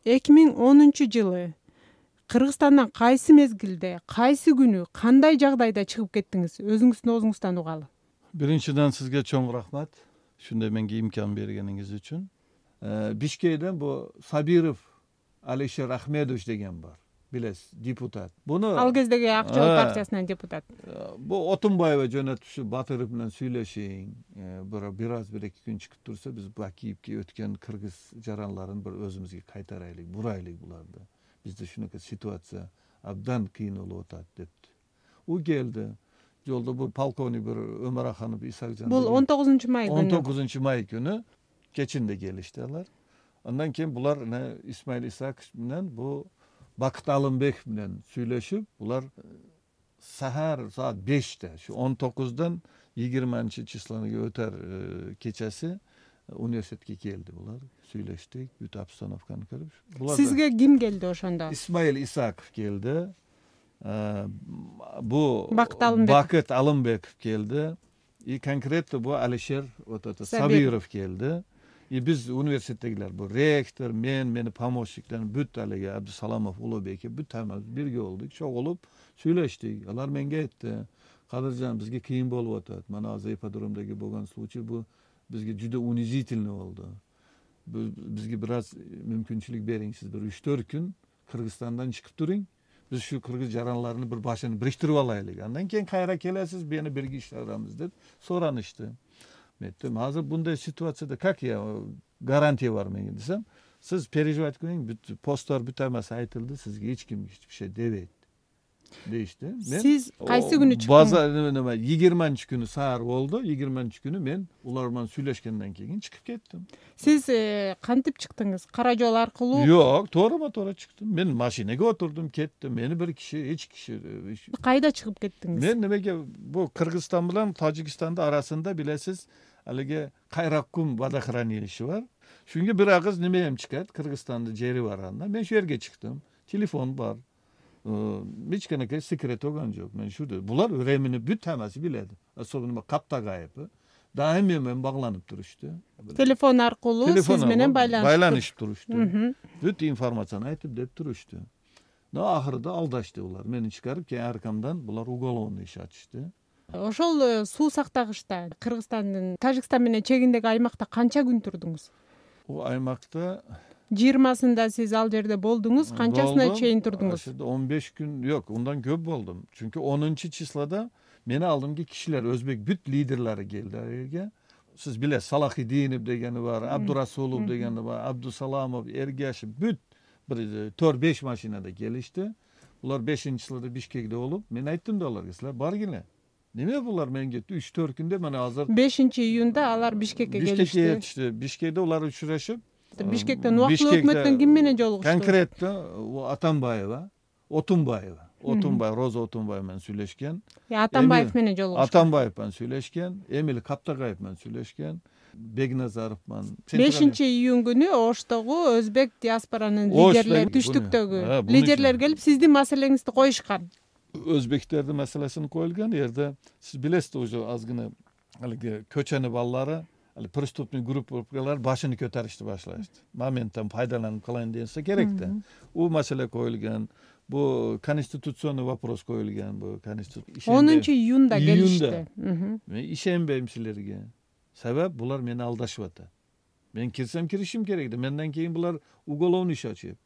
2010-жылы Кыргызстандан кайсы мезгилде, кайсы күнү, кандай жагдайда чыгып кеттиңиз? Өзүңүздүн оозуңуздан угалы. Биринчиден сизге чоң рахмат. Ушундай менге имкан бергениңиз үчүн. Бишкектен бу Сабиров Алишер Ахмедович деген бар. Билесиз, депутат. Буну Ал кездеги Ак Жол партиясынын депутат. Бу Отунбаева жөнөтүшү Батыров менен сүйлөшейин. Бир аз 1-2 күн чыгып турса, биз Бакиевке өткөн кыргыз жаранларын bir өзүбүзгө кайтарайлык, бурайлык буларды. Бизде ушунакай ситуация абдан кыйын болуп атат депти. У келди. Жолдо бу полковник bir Өмөраханов Исакжан. Бул 19-май күнү. 19-май күнү кечинде келишти алар. Андан кийин булар Исмаил Исакович менен бу Бакыт Алымбеков менен сүйлөшүп, булар сахар саат 5-те, şu 19-дан 20-числоға өтөр кечеси университетке келди булар. Сүйлөштүк, бүт обстановканы көрүп. Сизге ким келди ошондо? Исмаил Исаков келди. Бу Бакыт Алымбеков келди. И конкретно бу Алишер Сабиров келди. И биз университеттегилер, бу ректор, мени помощниктер, бүт алеге Абдусаламов, Улубеке, бүт тамам бирге болдук, чогулуп сүйлөштүк. Алар менге айтты, Кадыржан, бизге кыйын болуп атат. Мана азыр ипподромдоги болгон случай бу бизге жүдө унизительный болду. Бизге бир аз мүмкүнчүлүк бериңиз, бир 3-4 күн Кыргызстандан чыгып туруң. Биз şu кыргыз жаранларыны bir башын бириктирип алайлык. Андан кийин кайра келесиз, мени бирге иштебиз деп суранышты. Мен айттым, азыр bunday ситуацияда как я гарантия бар менге десем, сиз переживать кылбаң, бүт посттор бүт эмасы айтылды, сизге эч ким эч бир şey дебейт. Дейишти. Сиз кайсы күнү чыктыңыз? Базар 20-күнү саар болду. 20-күнү мен улар менен сүйлөшкөндөн кийин чыгып кеттим. Сиз кантип чыктыңыз? Кара жол аркылуу? Жок, туура чыктым. Мен машинеге отурдум, кеттим. Мени бир киши, эч киши. Кайда чыгып кеттиңиз? Мен немеге бу Кыргызстан менен Тажикстандын арасында билесиз, алеге Кайраккум водохранилище бар. Шунга бир агыз немем чыкат, Кыргызстандын жери бар анда. Мен шу жерге чыктым. Телефон бар. Hiç kanaka секрет olan yok. Ben şurada. Bular öğrenmeni büt teması biledi. Особенно kapta gayipı. Daim men bağlanıp duruştu. Telefon arqılуу siz menen baylanışıp duruştu. Büt informasyonu aytıp dep duruştu. Ahırda aldaştı ular. Meni çıkarıp keyin arkamdan bular уголовный iş açtı. Ошол суу сактагычта Кыргызстандын Тажикстан менен чегиндеги аймакта канча күн турдуңуз? O aymakta 20-сында siz ал жерде болдуңуз, канчасына чейин турдуңуз? 15 gün yok, ondan köp boldum. Çünkü 10. çislada meni aldımki kişiler, Özbek büt liderleri geldi yerge. Siz bile Salahidinov degeni var, Abdurasulov degeni var, Abdusalamov, Ergashi büt 4-5 maşinada gelişti. Bular 5. çislada Bişkek'te olup, men ayttım da olarga, sizler bar gele. Neme bular men getdi? 3-4 günde men hazır 5 iyunda alar Bişkek'e gelişti. Bişkek'e yetişti. Bişkek'te ular uçuraşıp Бишкектен убактылуу өкмөттөн ким менен жолугушту? Конкретно Атамбаева, Отунбаева, Роза Отунбаева менен сүйлөшкөн. Атамбаев менен жолугушту. Атамбаев менен сүйлөшкөн, Эмил Каптагаев менен сүйлөшкөн, Бегназаров менен. 5-июнь күнү Оштогу өзбек диаспоранын лидерлери, түштүктөгү лидерлер келип сиздин маселеңизди коюшкан. Өзбектердин маселесин коюлган жерде сиз билесиз, уже азгына алиги көчөнү баллары преступный группалар başını көтөрүштү башлашты. Моменттен пайдаланып калайын десе керек да. У маселе коюлган, бу конституционный вопрос коюлган, бу конституция. 10 июнда келишти. Мен ишенбейм силерге. Себеп булар мени алдашып атат. Мен кирсем киришим керек да. Менден кийин булар уголовный иш ачып.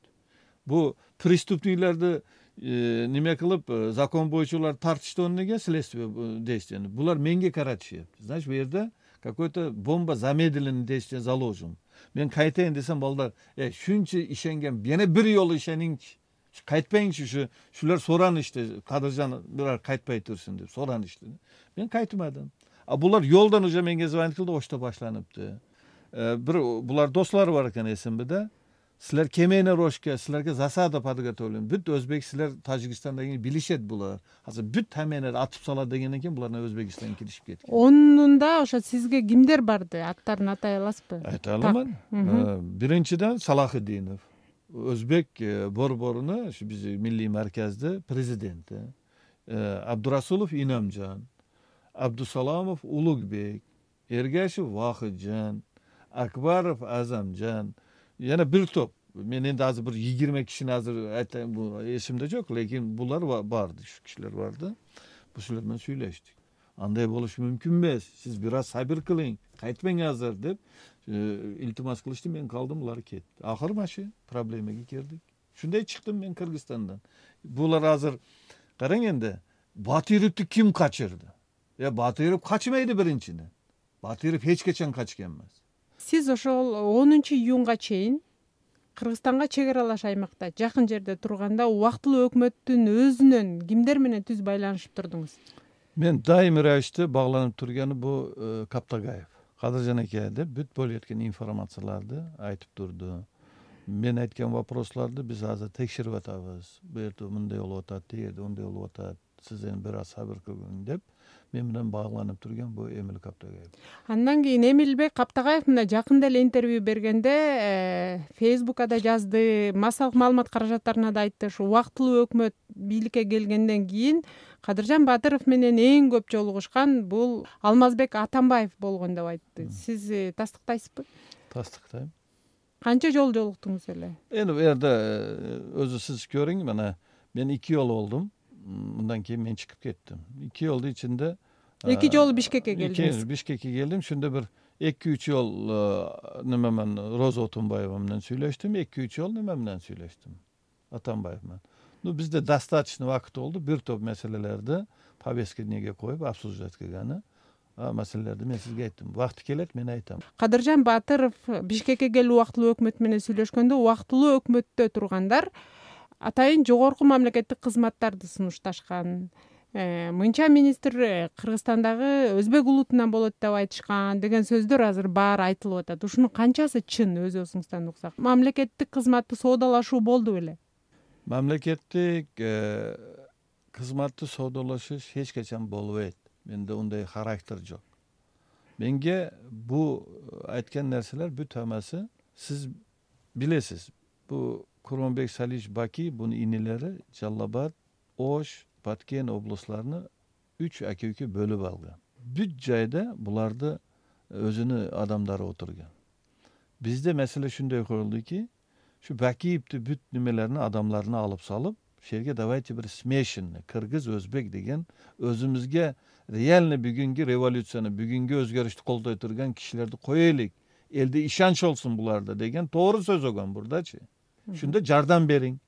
Бу преступнийлерди неме кылып, закон боюнча улар тартышты неге следствие действияны. Булар менге каратышат. Значит, бу жерде какой-то бомба замедленный действие заложен. Мен кайтайын десем, балдар, шунча ишенген, yana bir yolu ишениңчи. Кайтпайыңчы, шулар соранышты, Кадыржан бирар кайтпай турсун деп соранышты. Мен кайтмадым. А булар yoldan уже менге звонить кылды, ошто башланыпты. Бир булар достору бар экен эсимде. Силер кемене рошке, силерге засада подготовлен. Бүт өзбек силер Тажикстандагы билишет булар. Азыр бүт таменер атып сала дегенден кийин буларны Өзбекстанга киришип кеткен. Онунда ошо сизге кимдер барды? Аттарын атай аласызбы? Айта аламын. Биринчиден Салахидинов. Өзбек борборуну, ушу биздин милли марказды президенти. Абдурасулов Инамжан, Абдусаламов Улугбек, Эргашев Вахиджан, Акбаров Азамжан. Yana bir top мен енді азыр бір 20 кишини азыр эсимде жок, лекин булар барды, ушу кишилер барды. Бул кишилер менен сүйлөштүк. Андай болуш мүмкүн эмес. Сиз бир аз сабыр кылың, кайтпаң азыр деп илтимас кылышты. Мен калдым, улар кетти. Акыры машы проблемага кирдик. Шундай чыктым мен Кыргызстандан. Булар азыр караң энди, Батыровду ким качырды? Батыров качмайды биринчиден. Батыров эч качан качкан эмес. Сиз ошол 10-июнга чейин Кыргызстанга чек аралаш аймакта жакын жерде турганда убактылуу өкмөттүн өзүнөн кимдер менен түз байланышып турдуңуз? Мен дайыми равиште багланып турганы бул Каптагаев. Кадыржан эке деп бүт болуп жаткан информацияларды айтып турду. Мен айткан вопросларды биз азыр текшерип атабыз. Бу жерде мындай болуп атат, тигерде мындай болуп атат. Сиз эми бир аз сабыр кылың деп мен менен багланып турган бул Эмил Каптагаев. Андан кийин Эмилбек Каптагаев мына жакында эле интервью бергенде Facebook'а да жазды, массалык маалымат каражаттарына да айтты. Ушу убактылуу өкмөт бийликке келгенден кийин Кадыржан Батыров менен эң көп жолугушкан бул Алмазбек Атамбаев болгон деп айтты. Сиз тастыктайсызбы? Тастыктайм. Канча жолу жолуктуңуз эле? Эми бу жерде өзү сиз көрүң, мына мен 2 жолу болдум. Мындан кийин мен чыгып кеттим. 2 жолдун ичинде 2 жолу Бишкекке келдиңиз. Бишкекке келдим. Шунда бир 2-3 жол неме менен Роза Отунбаева менен сүйлөштүм, 2-3 жол неме менен сүйлөштүм. Атамбаев менен. Бизде достаточно убакыт болду. Бир топ маселелерди повесткага коюп обсуждать кылганы. Маселелерди мен сизге айттым. Убакыты келет, мен айтам. Кадыржан Батыров Бишкекке келип убактылуу өкмөт менен сүйлөшкөндө убактылуу өкмөттө тургандар атайын жогорку мамлекеттик кызматтарды сунушташкан. Мынча министр Кыргызстандагы өзбек улутунан болот деп айтышкан деген сөздөр азыр баары айтылып атат. Ушунун канчасы чын өзүңүздөн уксак? Мамлекеттик кызматты соодалашуу болду беле? Мамлекеттик кызматты соодалашыш эч качан болбойт. Менде ундай характер жок. Менге бу айткан нерселер бүт хамасы сиз билесиз. Бу Курманбек Салич Баки, бунун инелери Жалал-Абад, Ош, Баткен областарыны 3 аке-үкө бөлүп алган. Бүт жайда буларды өзүнүн адамдары отурган. Бизде маселе шундай коюлду ки, şu Бакиевди бүт немелерини адамларына алып салып, шерге давайте бир смешанный кыргыз өзбек деген өзүмүзгө реально бүгүнкү революцияны, бүгүнкү өзгөрүштү колдой турган кишилерди коелик. Элде ишанч болсун буларда деген туура сөз болгон бурдачы. Шунда жардам бериң.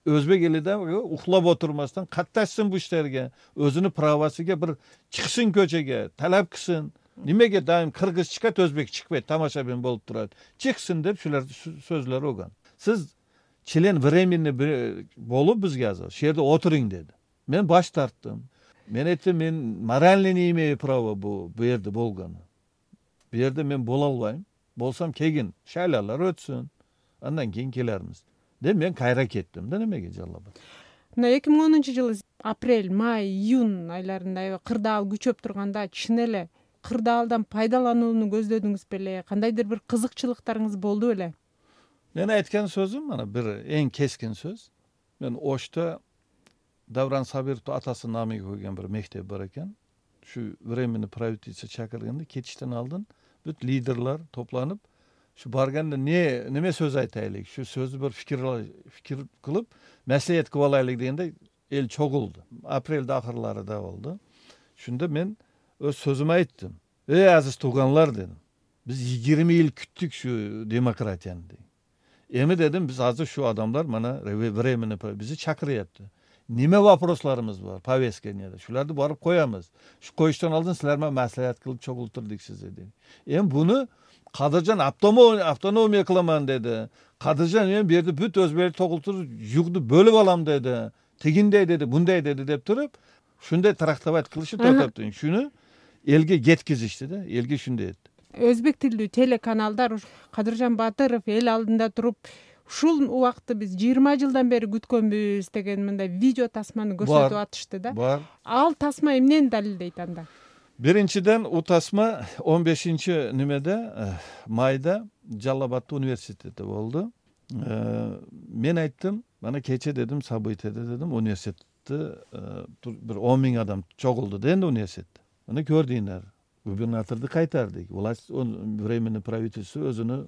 Өзбек эли да ухлап отурмастан катташсын бу иштерге, өзүнүн правосыга бир чыксын көчөгө, талап кылсын. Немеге дайым кыргыз чыкат, өзбек чыкпайт, тамашабин болуп турат. Чыксын деп шулар сөзлөр болгон. Сиз член временный болуп бизге азыр шерде отуруң деди. Мен баш тарттым. Мен айттым, мен морально не имею права бу жерде болгону. Бу жерде мен боло албайм. Болсам кегин шайлалар өтсүн. Андан кийин келермиз. Деп мен кайра кеттим да немеге Жалал-Абад. Мына 2010-жылы апрель, май, июнь айларында кырдаал күчөп турганда чын эле кырдаалдан пайдаланууну көздөдүңүз беле? Кандайдыр бир кызыкчылыктарыңыз болду беле? Мен айткан сөзүм мына бир эң кескин сөз. Мен Ошто Давран Сабировду атасынын намыга койгон бир мектеп бар экен. Şu временный правительство чакырганда кетиштен алдын бүт лидерлер топланып, şu барганда неме сөз айтайлык, şu сөздү бир фикир кылып, маслихат кылып алайлык дегенде эл чогулду. Апрелде акырларында болду. Шунда мен өз сөзүмө айттым. Азиз тууганлар дедим. Биз 20 жыл күттүк şu демократияны. Эми дедим, биз азыр şu адамдар мана временный бизди чакырыпты. Неме вопросларыбыз бар, повесткага. Шуларды барып коябыз. Şu коюштан алдын силер менен маслихат кылып чогултурдук сизди деди. Эми буну Кадыржан автономия кыламан деди. Кадыржан мен бу жерде бүт өзбекти тогултуруп, жугду бөлүп алам деди. Тигиндей деди, мындай деди деп туруп, шундай трактовать кылышы токтоптун. Шуну элге жеткизишти да, элге шундай этти. Өзбек тилдүү телеканалдар Кадыржан Батыров эл алдында туруп, ушул убакытты биз 20 жылдан бери күткөнбүз деген мындай видео тасманы көрсөтүп атышты да. Бар. Ал тасма эмнени далилдейт анда? Биринчиден у тасма 15 немеде майда Жалал-Абадта университетте болду. Мен айттым, мана кече дедим, событияда дедим, университетте бир 10 000 адам чогулду да энди университетте. Мына көрдүңөр. губернаторду кайтардык. Власть временный правительство өзүнүн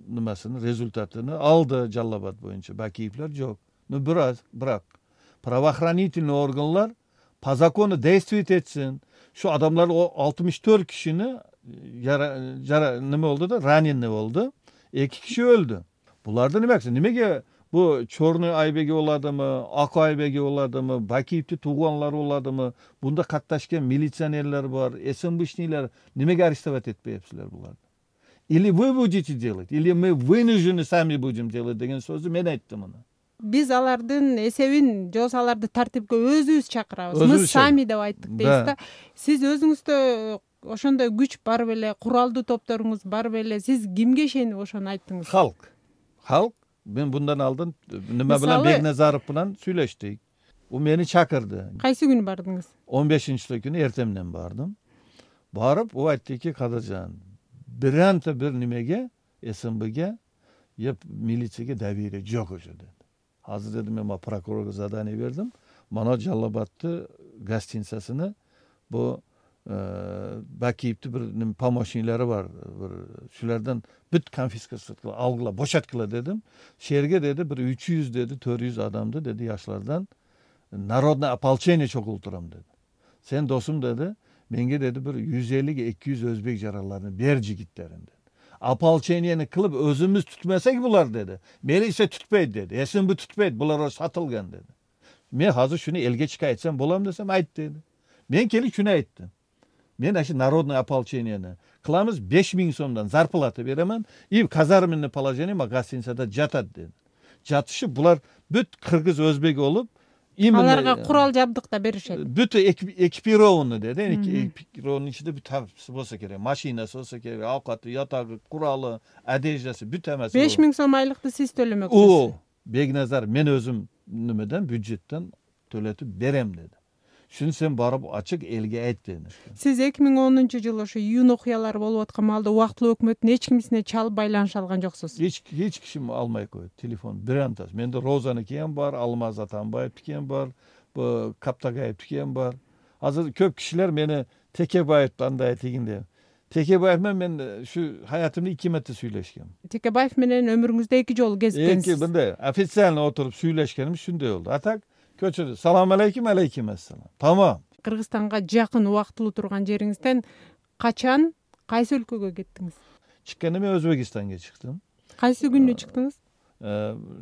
нымасын результатын алды Жалал Абад боюнча. Бакиевлер жок. Бирок правоохранительный органlar по закону действовать этсин. Şu adamlar o 64 kişini nime oldu da раненый oldu. 2 kişi öldü. Bularda nimege bu Çornu Aybegi oladımı, Aku Aybegi oladımı, Bakiyipti tuğanlar oladımı, bunda katlaşken militsionerler var, СМБшниler, nimege арестовать etmeyepsiler bularda. Или вы будете делать, или мы вынуждены сами будем делать деген сөзді мен айттым оны. Биз алардын эсебин, жобосо аларды тартипке өзүбүз чакырабыз. Мы сами деп айттык дейсиз да. Сиз өзүңүздө ошондой күч бар беле, куралдуу топторуңуз бар беле? Сиз кимге ишенип ошону айттыңыз? Halk. Ben bundan aldın. Nime bilen Begnazarov bilen süйлөштүк. O meni çakırdı. Kaysı günü bardınız? 15-nji günü ertemden bardım. Barıp o aytты ki Kadıcan bir nimege SMB'ge yap militsiyege devire jok oşo dedi. Hazır dedim ama prokurorga zadание verdim. Mana Жалал Абадты гостиницасыны bu Bakiyipti bir помощниклери var. Şulardan büt konfiskasiya kıla, algıla, boşatkıla dedim. Şerge dedi bir 300 dedi, 400 adamdı dedi yaşlardan. Народное ополчение çokulturam dedi. Sen dostum dedi. Menge dedi bir 150-200 Özbek jaralarini ber jigitlerin dedi. Ополчениени kılıp özümüz tutmasak bular dedi. Melise tutpaydı dedi. SMB tutpaydı. Bular satılgan dedi. Men hazır şunu elge çıkayetsem bolam desem ayt dedi. Men kelip şunu ayttım. Men aşı Народное ополчениени kılamız 5000 so'mdan zarplata beremen. И казарменный положение гостиницада жатат dedi. Jatışı bular büt Kırgız Özbek olup аларга курал жабдык да беришет. Büt ekipirованный dedi. Ekipirованный içinde bir tapsı bolsa kerek, maşinası bolsa kerek, avkatı, yatagı, kuralı, adejası, büt emesi. 5000 so'm aylıkты siz tölemeksiniz. O Begnazar men özüm nimeden büdjetten töletip berem dedi. Şunu sen barıp açık elge ayt dedi. Siz 2010-жылы ошо июнь окуялары болуп аткан маалда убактылуу өкмөттүн эч кимисине чалып байланыша алган жоксуз. Hiç kişim almay koydu telefon. Bir antas. Mende Rozan'ıkiyen var, Almaz Atanbayev'tikiyen var, bu Kaptagayev'tikiyen var. Hazır köp kişiler beni Tekebayev'dan da etiginde. Tekebayev'men ben şu hayatımda 2 metre söyleşkem. Tekebayev menen ömrüңүздө 2 жолу кезиктенсиz. İki bende ofitsialni oturup söyleşkenim şunday oldu. Atak köçürdü. Salam aleykum, aleykum assalam. Tamam. Кыргызстанга жакын убактылуу турган жериңизден качан, кайсы өлкөгө кеттиңиz? Çıkkanım Özbekistan'a çıktım. Кайсы күнү чыктыңыз?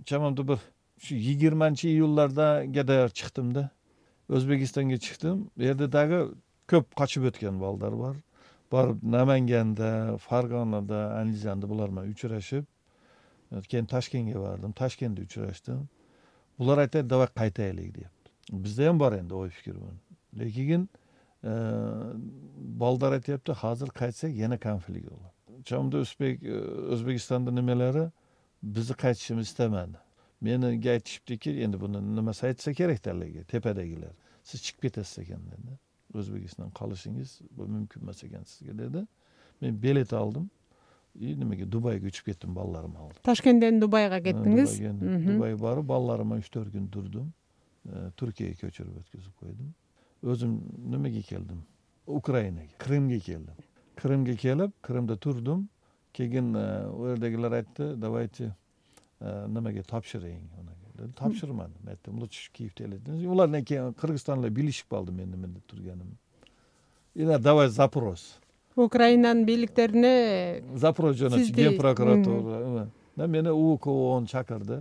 Çamamda bir şu 20 iyullarda gedayar çıktım da. Özbekistan'a çıktım. Yerde dağı köp kaçıp ötken balдар var. Barıp Namangan'da, Farg'onada, Andijon'da bularma uçraşıp, keyin Toshkentga bardim. Toshkentda uçraştım. Bular aytadi, "Davay qaytaylik" deb. Bizda ham bor endi oy fikr bu. Lekin balдар aytyapti, "Hozir qaytsak yana konflikt bo'ladi." Çamda O'zbekistonda nimalari bizni qaytishimizni istamadi. Meni aytishibdiki, endi buni nimasi aytsa kerak talaga, tepadagilar. Siz chiqib ketasiz ekan dedi. O'zbekistonda qolishingiz bu mumkin emas ekan sizga dedi. Men bilet aldım. Nimaga Dubayga uchib ketdim, balalarimni aldım. Toshkentdan Dubayga ketdingiz. Dubayga borib, balalarima 3-4 kun turdim. Turkiyaga ko'chirib o'tkazib qo'ydim. O'zim nimaga keldim? Ukrainaga, Krimga keldim. Krimga kelib, Krimda turdim. Keyin u yerdagilar aytdi, "Давайте nimaga topshiring uni." Dedi, "Topshirmadim." Aytdim, "Lutf Kiyevda elediniz." Ulardan keyin Qirg'izistonlar bilishib qoldi menda turganim. Ila "Давай запрос." Ukrainanın birliklerine Zaporoj jo'natdi, Gen prokuratura. Meni UKO'ni chaqirdi.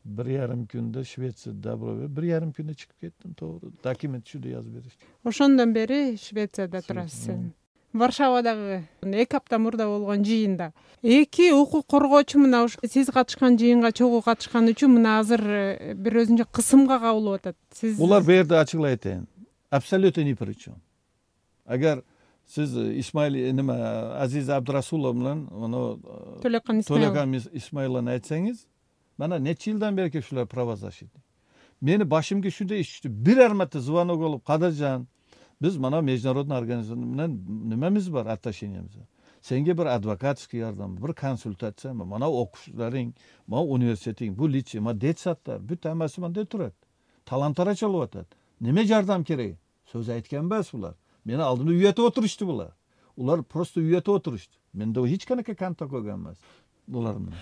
1,5 kunda Shvetsiyada Dabroga 1,5 kunda chiqib ketdim, to'g'ri. Dokument shunda yozib berishdi. Ошондон бери Швецияда турасыз. Варшавадагы 2 апта мурда болгон жыйында 2 укук коргоочу мына сиз катышкан жыйынга чогуу катышкан үчүн мына азыр бир өзүнчө кысымга кабылып атат. Сиз Ular bu yerda açıkla aytayın. Absolutно ни при чем. Agar siz Aziz Abdurasulov bilan To'lagan Ismoilovni aytsangiz, mana necha yildan beri shular pravozashidi. Meni boshimga shunday ish tushdi. Birer marta звонок olib, "Qadırjan, biz mana международный organizatsiya bilan nimamiz bor, отношениямыз. Senga bir advokatskiy yordam, bir konsultatsiya, mana o'qishlaring, mana universiteting, bu litsey, mana detsatlar, bütün hammasi menda turadi. Talantara chalib o'tadi. Nima yordam kerak? So'z aytgan emas bular. Meni oldimda uyatib o'tirishdi bular. Улар просто үйөтүп отурушту. Менде эч канакай контакт койгон эмес булар менен.